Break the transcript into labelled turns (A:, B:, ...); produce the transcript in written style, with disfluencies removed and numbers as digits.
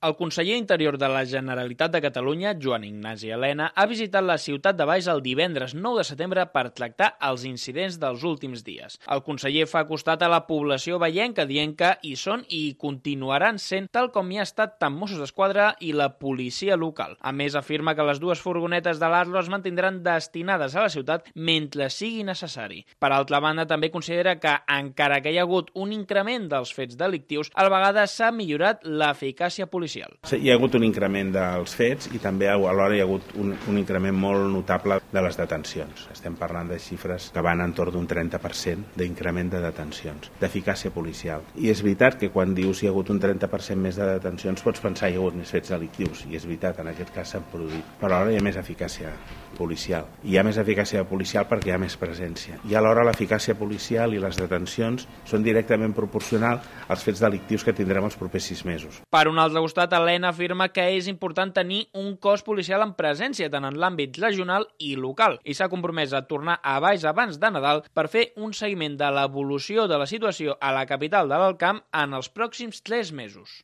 A: El conseller Interior de la Generalitat de Catalunya, Joan Ignasi Elena, ha visitat la ciutat de Valls el divendres 9 de setembre per tractar els incidents dels últims dies. El conseller fa costat a la població vallenca dient que hi són i hi continuaran sent, tal com hi ha estat tant Mossos d'Esquadra i la policia local. A més, afirma que les dues furgonetes de l'Arlo es mantindran destinades a la ciutat mentre sigui necessari. Per altra banda, també considera que, encara que hi ha hagut un increment dels fets delictius, a la vegada s'ha millorat l'eficàcia policial.
B: Hi ha hagut un increment dels fets i també alhora hi ha hagut un increment molt notable de les detencions. Estem parlant de xifres que van entorn d'un 30% d'increment de detencions, d'eficàcia policial. I és veritat que quan dius hi ha hagut un 30% més de detencions pots pensar que hi ha hagut més fets delictius, i és veritat, en aquest cas s'han produït. Però alhora hi ha més eficàcia policial. Hi ha més eficàcia policial perquè hi ha més presència. I alhora l'eficàcia policial i les detencions són directament proporcionals als fets delictius que tindrem els propers 6 mesos.
A: Per un altre costat, Elena afirma que és important tenir un cos policial en presència tant en l'àmbit regional i local i s'ha compromès a tornar a Valls abans de Nadal per fer un seguiment de l'evolució de la situació a la capital de l'Alt Camp en els pròxims 3 mesos.